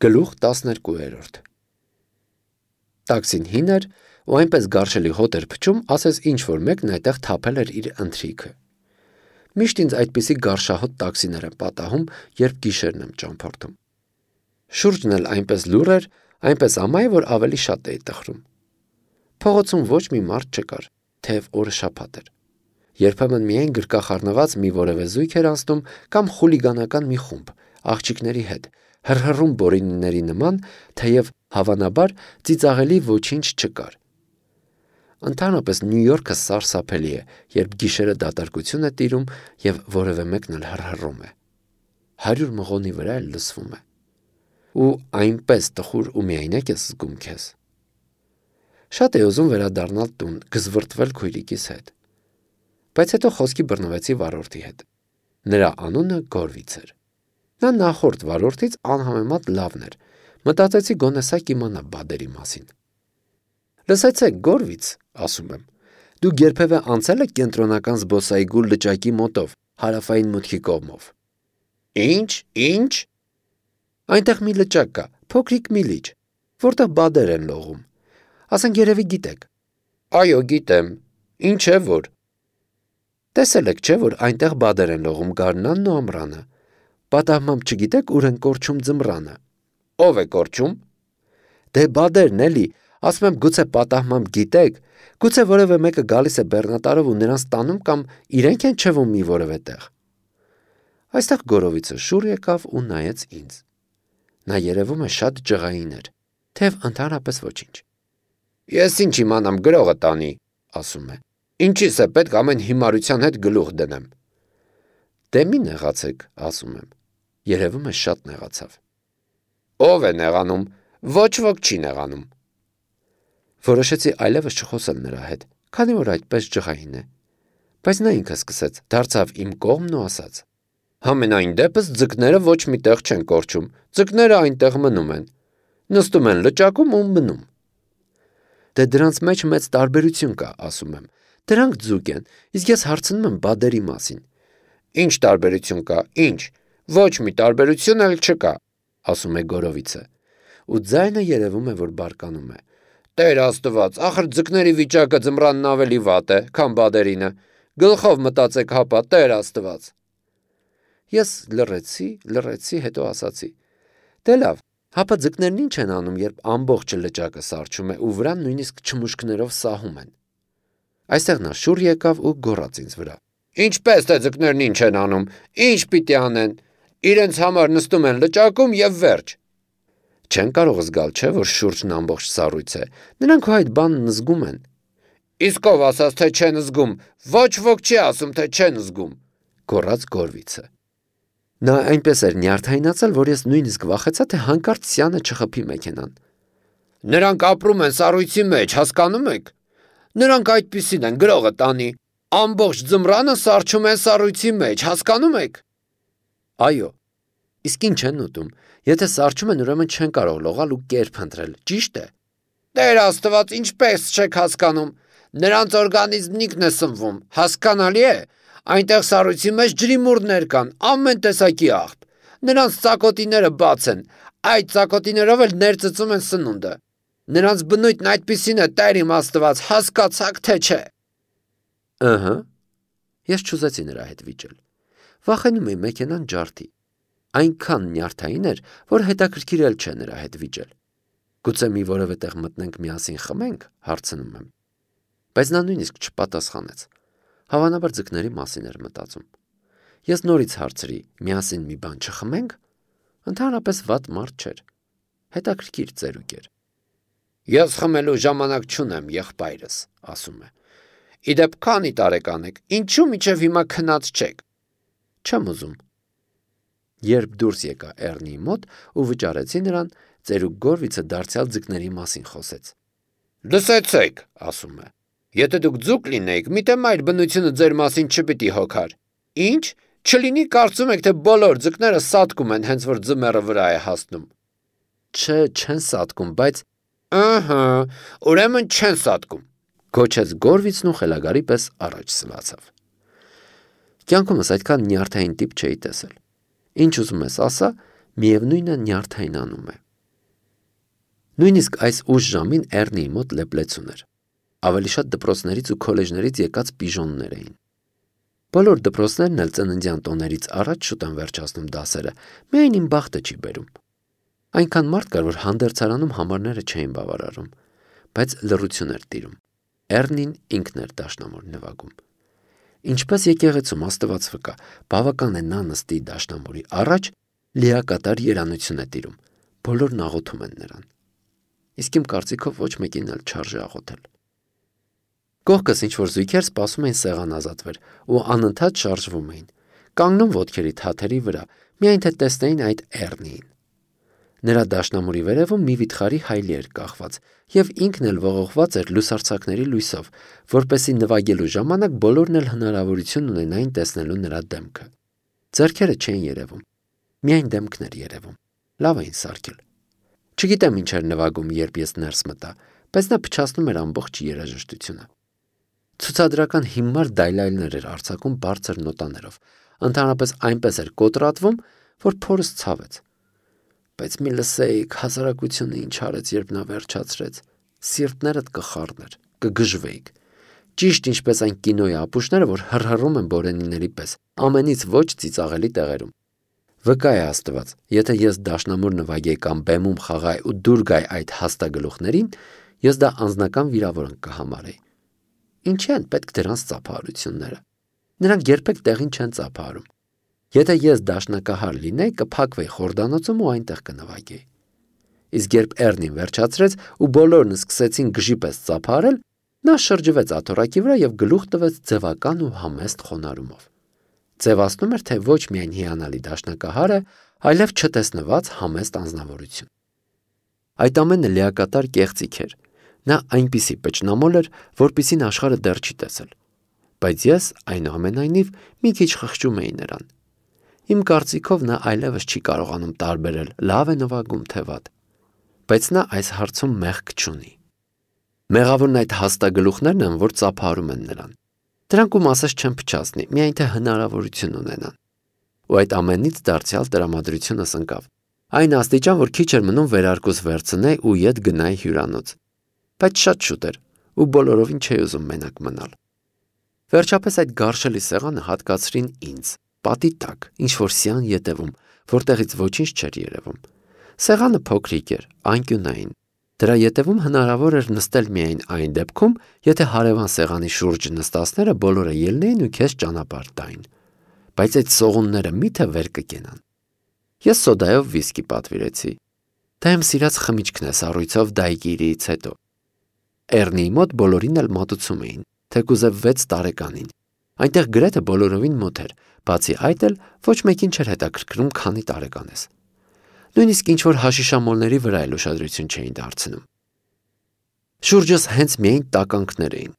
Գլուխ 12 Տաքսին հին էր ու այնպես գարշելի հոտ էր փչում, ասես ինչ-որ մեկն այդտեղ թափել էր իր ընթրիքը։ Միշտ ինձ այդպիսի գարշահոտ տաքսիներ են պատահում, երբ գիշերն եմ ճամփորդում։ Շուրջն էլ այնպես լուռ էր, այնպես ամայի, որ ավելի շատ էի տխրում։ Փողոցում ոչ մի մարդ չկար, թեև օրը շաբաթ էր։ Երբեմն միայն գրկախառնված մի որևէ զույգ էր անցնում կամ խուլիգանական մի խումբ, աղջիկների հետ, հռհռում բորինիների նման, թեև հավանաբար ծիծաղելի ոչինչ չկար։ Ընդհանրապես Նյու Յորքը սարսափելի է, երբ գիշերը դատարկություն է տիրում և որևէ մեկն էլ հռհռում է։ 100 մղոնի վրա էլ լսվում է։ Ու այնպես տխուր ու միայնակ ես զգում քեզ։ Շատ էի ուզում վերադառնալ տուն, գզվռտվել քույրիկիս հետ։ Բայց հետո խոսքի բռնվեցի վարորդի հետ։ Նրա անունը Գորվից էր։ Նա նախորդ վարորդից անհամեմատ լավն էր։ Մտածեցի գոնե սա կիմանա բադերի մասին։ Լսեցեք, Գորվից, ասում եմ, դուք երբևէ անցել եք կենտրոնական զբոսայգու լճակի մոտով, հարավային մուտքի կողմով։ Ինչ։ Այնտեղ մի լճակ կա, փոքրիկ մի լիճ, որտեղ բադեր են լողում։ Ասենք երևի գիտեք։ Այո, գիտեմ։ Ինչ է որ։ Տեսել եք, չէ, որ այնտեղ բադեր են լողում գարնանն ու ամռանը։ Պատահմամբ չգիտեք ուր են կորչում ձմռանը։ Ով է կորչում։ Դե բադերն էլի, ասում եմ գուցե պատահմամբ գիտեք, գուցե որևէ մեկը գալիս է բեռնատարով ու նրանց տանում կամ իրենք են չվում մի որևէ տեղ։ Այստեղ Գորովիցը շուռ եկավ ու նայեց ինձ։ Նա երևում է շատ ջղային էր, թեև ընդհանրապես ոչինչ։ Ես ինչ իմանամ գրողը տանի, ասում է։ Ինչիս է պետք ամեն հիմարության հետ գլուխ դնեմ։ Դե մի նեղացեք, ասում եմ։ Երևում է շատ նեղացավ։ Ով է նեղանում, ոչ ոք չի նեղանում։ Որոշեցի այլևս չխոսել նրա հետ, քանի որ այդպես ջղային է։ Բայց նա ինքը սկսեց, դարձավ իմ կողմն ու ասաց. Համենայն դեպս ձկները ոչ մի տեղ չեն կորչում, ձկները այնտեղ մնում են։ Նստում են լճակում ու մնում։ Դե դրանց մեջ մեծ տարբերություն կա, ասում եմ։ Դրանք ձուկ են, իսկ ես հարցնում եմ բադերի մասին։ Ինչ տարբերություն կա, ինչ։ Ոչ մի տարբերություն էլ չկա, ասում է Գորովիցը։ Ու ձայնը երևում է, որ բարկանում է։ Տեր Աստված, ախր ձկների վիճակը ձմռանն ավելի վատ է, քան բադերինը։ Գլխով մտածեք հապա, Տեր Աստված։ Ես լռեցի, հետո ասացի. Դե լավ, հապա ձկներն ինչ են անում, երբ ամբողջ լճակը սառչում է ու վրան նույնիսկ չմուշկներով սահում են։ Այստեղ նա շուռ եկավ ու գոռաց ինձ վրա. Ինչպես թե ձկներն ինչ են անում, ինչ պիտի անեն։ Իրենց համար նստում են լճակում եւ վերջ։ Չեն կարող զգալ, չէ, որ շուրջն ամբողջ սառույց է։ Նրանք հո այդ բանն զգում են։ Իսկ ով ասաց, թե չեն զգում, ոչ ոք չի ասում, թե չեն զգում, գոռաց Գորվիցը։ Նա այնպես էր նյարդայնացել, որ ես նույնիսկ վախեցա, թե հանկարծ սյանը չխփի մեքենան։ Նրանք ապրում են սառույցի մեջ, հասկանում եք։ Նրանք այդպիսին են, գրողը տանի։ Ամբողջ ձմռանը սառչում են սառույցի մեջ, հասկանում եք։ Այո։ Իսկ ինչ են ուտում։ Եթե սառչում են, ուրեմն չեն կարող լողալ ու կերպ ընտրել, ճիշտ է։ Տեր Աստված, ինչպես չեք հասկանում։ Նրանց օրգանիզմն ինքն է սնվում, հասկանալի է։ Այնտեղ սառույցի մեջ ջրիմուռներ կան, ամեն տեսակի աղբ։ Նրանց ծակոտիները բաց են, այդ ծակոտիներով էլ ներծծում են սնունդը։ Նրանց բնույթն այդպիսին է, Տեր իմ Աստված, հասկացաք թե չէ։ Ըհը։ Ես չուզեցի նրա հետ վիճել։ Վախենում էի մեքենան ջարդի։ Այնքան նյարդային էր, որ հետաքրքիր էլ չէ նրա հետ վիճել։ Գուցե մի որևէ տեղ մտնենք միասին խմենք, հարցնում եմ։ Բայց նա նույնիսկ չպատասխանեց։ Հավանաբար ձկների մասին էր մտածում։ Ես նորից հարցրի, միասին մի բան չխմենք։ Ընդհանրապես վատ մարդ չէր։ Հետաքրքիր ծերուկ էր։ Ես խմելու ժամանակ չունեմ, եղբայրս, ասում է։ Իդեպ քանի տարեկան եք, ինչու մինչև հիմա քնած չեք։ Չեմ ուզում։ Երբ դուրս եկա Էռնիի մոտ ու վճարեցի նրան, ծերուկ Գորվիցը դարձյալ ձկների մասին խոսեց։ Լսեցեք, ասում է։ Եթե դուք ձուկ լինեիք, միթե մայր բնությունը ձեր մասին չպիտի հոգար։ Ինչ, չլինի կարծում եք, թե բոլոր ձկները սատկում են, հենց որ ձմեռը վրա է հասնում։ Չէ, չեն սատկում, բայց ըհը, ուրեմն չեն սատկում, գոչեց Գորվիցն ու խելագարի պես առաջ սլացավ։ Կյանքումս այդքան նյարդային տիպ չէի տեսել։ Ինչ ուզում ես ասա, միևնույնը նյարդայնանում է։ Նույնիսկ այս ուշ ժամին Էռնիի մոտ լեփլեցուն էր։ Ավելի շատ դպրոցներից ու քոլեջներից եկած պիժոններ էին։ Բոլոր դպրոցներն էլ ծննդյան տոներից առաջ շուտ են վերջացնում դասերը, միայն իմ բախտը չի բերում։ Այնքան մարդ կար, որ հանդերձարանում համարները չէին բավարարում, բայց լռություն էր տիրում։ Էռնին ինքն էր դաշնամուր նվագում։ Ինչպես եկեղեցում Աստված վկա, բավական է նա նստի դաշնամուրի առաջ, լիակատար երանություն է տիրում, բոլորն աղոթում են նրան։ Իսկ իմ կարծիքով ոչ մեկին էլ չարժե աղոթել։ Կողքս ինչ-որ զույգեր սպասում էին սեղան ազատվեր ու անընդհատ շարժվում էին, կանգնում ոտքերի թաթերի վրա, միայն թե տեսնեին այդ Էռնիին։ Նրա դաշնամուրի վերևում մի վիթխարի հայլի էր կախված, և ինքն էլ ողողված էր լուսարձակների լույսով, որպեսզի նվագելու ժամանակ բոլորն էլ հնարավորություն ունենային տեսնելու նրա դեմքը։ Ձեռքերը չէին երևում, միայն դեմքն էր երևում, լավ էին սարքել։ Չգիտեմ ինչ էր նվագում, երբ ես ներս մտա, բայց նա փչացնում էր ամբողջ երաժշտությունը։ Ցուցադրական հիմար դայլայլներ էր արձակում բարձր նոտաներով, ընդհանրապես այնպես էր կոտրատվում, որ փորս ցավեց։ Բայց մի լսեիք հասարակությունը ինչ արեց, երբ նա վերջացրեց, սիրտներդ կխառներ, կգժվեիք։ Ճիշտ ինչպես այն կինոյի ապուշները, որ հռհռում են բորենիների պես, ամենից ոչ ծիծաղելի տեղերում։ Վկա է Աստված, եթե ես դաշնամուր նվագեի կամ բեմում խաղայի ու դուր գայի այդ հաստագլուխներին, ես դա անձնական վիրավորանք կհամարեի։ Ինչի են պետք դրանց ծափահարությունները։ Նրանք երբեք տեղին չեն ծափահարում։ Եթե ես դաշնակահար լինեի, կփակվեի խորդանոցում ու այնտեղ կնվագեի։ Իսկ երբ Էռնին վերջացրեց ու բոլորն սկսեցին գժի պես ծափահարել, նա շրջվեց աթոռակի վրա և գլուխ տվեց ձևական ու համեստ խոնարհումով։ Ձևացնում էր, թե ոչ միայն հիանալի դաշնակահար է, այլև չտեսնված համեստ անձնավորություն։ Այդ ամենը լիակատար կեղծիք էր։ Նա այնպիսի պճնամոլ էր, որպիսին աշխարհը դեռ չի տեսել։ Բայց ես, այնուամենայնիվ, մի քիչ խղճում էի նրան։ Իմ կարծիքով նա այլևս չի կարողանում տարբերել լավ է նվագում, թե վատ։ Բայց նա այս հարցում մեղք չունի։ Մեղավորն այդ հաստագլուխներն են, որ ծափահարում են նրան։ Դրանք ու մասս չեն փչացնի, միայն թե հնարավորություն ունենան։ Ու այդ ամենից դարձյալ տրամադրությունս ընկավ։ Այն աստիճան, որ քիչ էր մնում վերարկուս վերցնեի ու ետ գնայի հյուրանոց։ Բայց շատ շուտ էր, ու բոլորովին չէի ուզում մենակ մնալ։ Վերջապես այդ գարշելի սեղանը հատկացրին ինձ, պատի տակ, ինչ-որ սյան ետևում, որտեղից ոչինչ չէր երևում։ Սեղանը փոքրիկ էր, անկյունային։ Դրա ետևում հնարավոր էր նստել միայն այն դեպքում, եթե հարևան սեղանի շուրջ նստածները բոլորը ելնեին ու քեզ ճանապարհ տային։ Բայց այդ սողունները մի՞թե վեր կկենան։ Ես սոդայով վիսկի պատվիրեցի։ Դա իմ սիրած խմիչքն է սառույցով դայկիրիից հետո։ Էռնիի մոտ բոլորին էլ մատուցում էին, թեկուզև 6 տարեկանին։ Այնտեղ գրեթե բոլորովին մոտ էր, բացի այդ էլ ոչ մեկին չէր հետաքրքրում քանի տարեկան ես։ Նույնիսկ ինչ-որ հաշիշամոլների վրա էլ ուշադրություն չէին դարձնում։ Շուրջս հենց միայն տականքներ էին,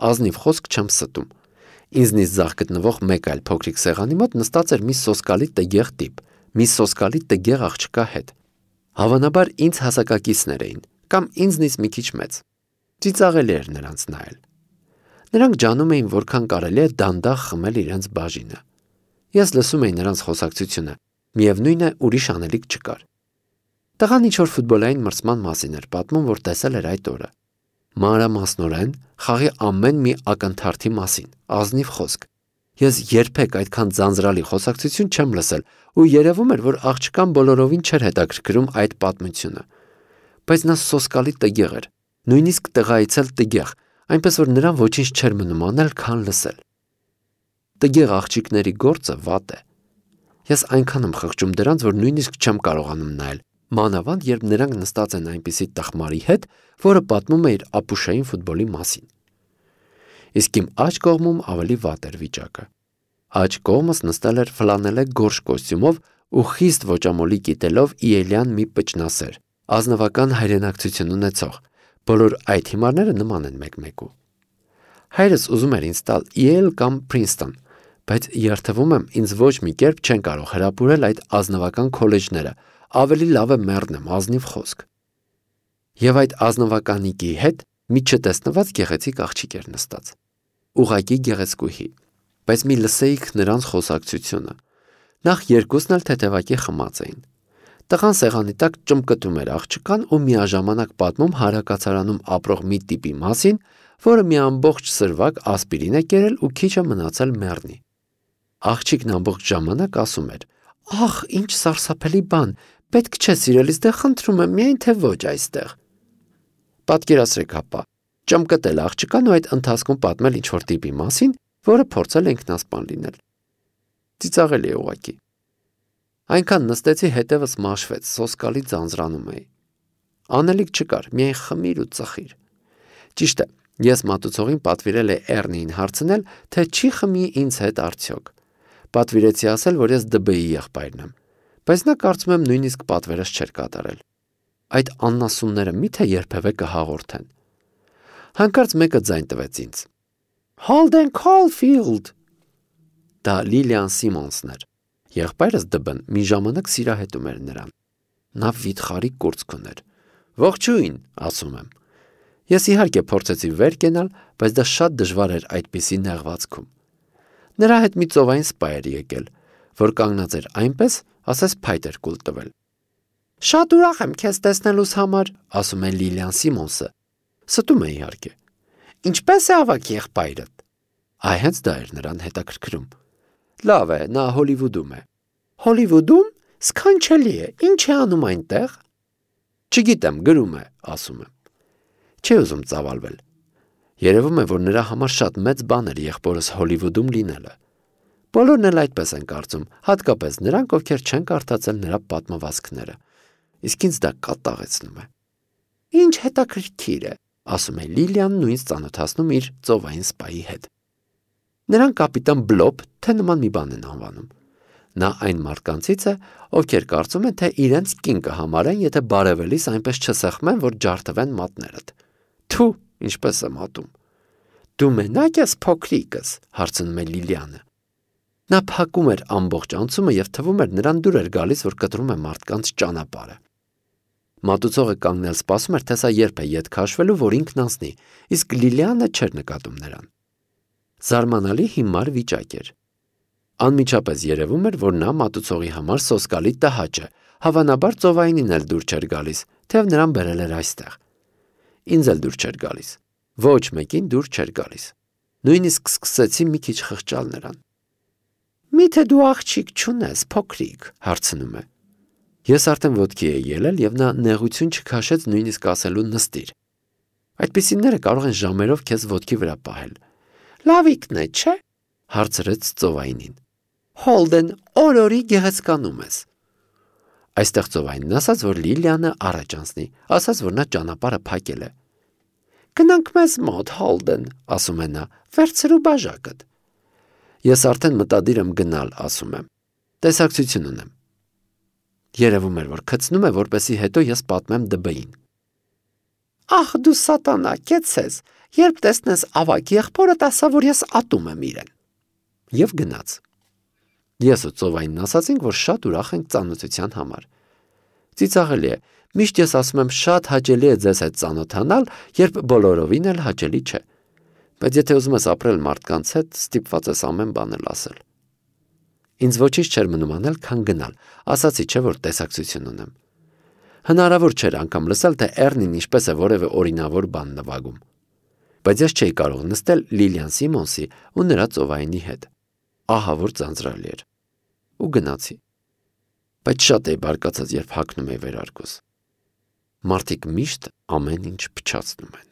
ազնիվ խոսք չեմ ստում։ Ինձնից ձախ գտնվող մեկ այլ փոքրիկ սեղանի մոտ նստած էր մի սոսկալի տգեղ տիպ, մի սոսկալի տգեղ աղջկա հետ։ Հավանաբար ինձ հասակակիցներ էին, կամ ինձնից մի քիչ մեծ։ Ծիծաղելի էր նրանց նայել։ Նրանք ջանում էին, որքան կարելի է դանդաղ խմել իրենց բաժինը։ Ես լսում էի նրանց խոսակցությունը, միևնույն է ուրիշ անելիք չկար։ Տղան ինչ-որ ֆուտբոլային մրցման մասին էր պատմում, որ տեսել էր այդ օրը։ Մանրամասնորեն խաղի ամեն մի ակնթարթի մասին, ազնիվ խոսք։ Ես երբեք այդքան ձանձրալի խոսակցություն չեմ լսել ու երևում էր, որ աղջկան բոլորովին չէր հետաքրքրում այդ պատմությունը։ Բայց նա սոսկալի տգեղ էր, նույնիսկ տղայից էլ տգեղ, այնպես որ նրան ոչինչ չէր մնում անել, քան լսել։ Տգեղ աղջիկների գործը վատ է։ Ես այնքան եմ խղճում դրանց, որ նույնիսկ չեմ կարողանում նայել, մանավանդ երբ նրանք նստած են այնպիսի տխմարի հետ, որը պատմում է իր ապուշային ֆուտբոլի մասին։ Իսկ իմ աջ կողմում ավելի վատ էր վիճակը։ Աջ կողմս նստել էր ֆլանելե գորշ կոստյումով ու խիստ ոճամոլի կիտելով իելյան մի պճնասեր, ազնվական հայրենակցություն ունեցող, բոլոր այդ հիմարները նման են մեկ-մեկու։ Հայրս ուզում էր ինձ տալ Yale կամ Princeton, բայց երթվում եմ, ինձ ոչ մի կերպ չեն կարող հրապուրել այդ ազնվական քոլեջները, ավելի լավ է մեռնեմ, ազնիվ խոսք։ Եվ այդ ազնվականիկի հետ մի չտեսնված գեղեցիկ աղջիկ էր նստած։ Ուղղակի գեղեցկուհի, բայց մի լսեիք նրանց խոսակցությունը։ Նախ երկուսն էլ թեթևակի խմած էին։ Տղան սեղանի տակ ճմկտում էր աղջկան ու միաժամանակ պատմում հարակացարանում ապրող մի տիպի մասին, որը մի ամբողջ սրվակ ասպիրին է կերել ու քիչ է մնացել մեռնի։ Աղջիկն ամբողջ ժամանակ ասում էր. «Ախ, ինչ սարսափելի բան, պետք չէ սիրելիս, դե խնդրում եմ, միայն թե ոչ այստեղ»։ Պատկերացրեք հապա, ճմկտել աղջկան ու այդ ընթացքում պատմել ինչ-որ տիպի մասին, որը փորձել է ինքնասպան լինել։ Ծիծաղելի է ուղղակի։ Այնքան նստեցի, հետևս մաշվեց, սոսկալի ձանձրանում էի։ Անելիք չկար, միայն խմիր ու ծխիր։ Ճիշտ է, ես մատուցողին պատվիրել էի Էռնիին հարցնել, թե չի խմի ինձ հետ արդյոք։ Պատվիրեցի ասել, որ ես ԴԲ-ի եղբայրն եմ, բայց նա կարծում եմ նույնիսկ պատվերս չէր կատարել։ Այդ աննասունները միթե երբևէ կհաղորդեն։ Հանկարծ մեկը ձայն տվեց ինձ. «Holden Caulfield»։ Դա Լիլիան Սիմոնսն էր։ Եղբայրս ԴԲ-ն մի ժամանակ սիրահետում էր նրան։ Նա վիթխարի կուրծք ուներ։ «Ողջույն», ասում եմ։ Ես իհարկե փորձեցի վեր կենալ, բայց դա շատ դժվար էր այդպիսի նեղվածքում։ Նրա հետ մի ծովային սպա էր եկել, որ կանգնած էր այնպես, ասես փայտ էր կուլ տվել։ «Շատ ուրախ եմ քեզ տեսնելուս համար», ասում է Լիլիան Սիմոնսը։ Ստում է իհարկե։ «Ինչպե՞ս է ավագ եղբայրդ»։ Այ հենց դա էր նրան հետաքրքրում։ Լավ է, նա Հոլիվուդում է։ Հոլիվուդում? Սքանչելի է, ինչ է անում այնտեղ։ Չգիտեմ, գրում է, ասում եմ։ Չի ուզում ծավալվել։ Երևում է, որ նրա համար շատ մեծ բան էր եղբորս Հոլիվուդում լինելը։ Բոլորն էլ այդպես են կարծում, հատկապես նրանք, ովքեր չեն կարդացել նրա պատմվածքները։ Իսկ ինձ դա կատաղեցնում է։ Ինչ հետաքրքիր է, ասում է Լիլիան, նույնիսկ ծանոթացնում իր ծովային սպայի հետ։ Նրան կապիտան Բլոբ, թե նման մի բան են անվանում։ Նա այն մարդկանցից է, ովքեր կարծում են, թե իրենց կին կհամարեն, եթե բարևելիս այնպես չսեղմեն, որ ջարդվեն մատներդ։ Թու, ինչպես եմ ատում։ Դու մենակ ես, փոքրիկս, հարցնում է Լիլիանը։ Նա փակում էր ամբողջ անցումը եւ թվում էր նրան դուր էր գալիս, որ կտրում է մարդկանց ճանապարհը։ Մատուցողը կանգնել սպասում էր, թե սա երբ է ետ քաշվելու, որ ինքն անցնի, իսկ Լիլիանը չէր նկատում նրան։ Զարմանալի հիմար վիճակ էր։ Անմիջապես երևում էր, որ նա մատուցողի համար սոսկալի տհաճ է, հավանաբար ծովայինին էլ դուր չէր գալիս, թեև նրան բերել էր այստեղ։ Ինձ էլ դուր չէր գալիս։ Ոչ մեկին դուր չէր գալիս։ Նույնիսկ սկսեցի մի քիչ խղճալ նրան։ Միթե դու աղջիկ չունես, փոքրիկ, հարցնում է։ Ես արդեն ոտքի էի ելել եւ նա նեղություն չքաշեց նույնիսկ ասելու նստիր։ Այդպիսիները կարող են ժամերով քեզ ոտքի վրա պահել։ Լավիկն է, չէ՞, հարցրեց ծովայինին։ Հոլդեն, օրորի գեղեցկանում ես։ Այստեղ ծովայինն ասաց, որ Լիլիանը առաջ անցնի, ասաց, որ նա ճանապարհը փակել է։ Գնանք մեզ մոտ, Հոլդեն, ասում է նա, վերցրու բաժակդ։ Ես արդեն մտադիր եմ գնալ, ասում եմ։ Տեսակցություն ունեմ։ Երևում էր, որ քցնում է, որպեսզի հետո ես պատմեմ ԴԲ-ին։ Ախ, դու սատանա, կեցես, երբ տեսնես ավագ եղբորդ, ասա, որ ես ատում եմ իրեն։ Եվ գնաց։ Ես ու ծովայինն ասացինք, որ շատ ուրախ ենք ծանոթության համար։ Ծիծաղելի է, միշտ ես ասում եմ, շատ հաճելի է ձեզ հետ ծանոթանալ, երբ բոլորովին էլ հաճելի չէ։ Բայց եթե ուզում ես ապրել մարդկանց հետ, ստիպված ես ամեն բան էլ ասել։ Ինձ ոչինչ չէր մնում անել, քան գնալ, ասացի չէ, որ տեսակցություն ունեմ։ Հնարավոր չէր անգամ լսել, թե Էռնին ինչպես է որևէ օրինավոր բան նվագում։ Բայց ես չէի կարող նստել Լիլիան Սիմոնսի ու նրա ծովայինի հետ։ Ահա որ ձանձրալի էր։ Ու գնացի։ Բայց շատ էի բարկացած, երբ հագնում էի վերարկուս։ Մարդիկ միշտ ամեն ինչ փչացնում են։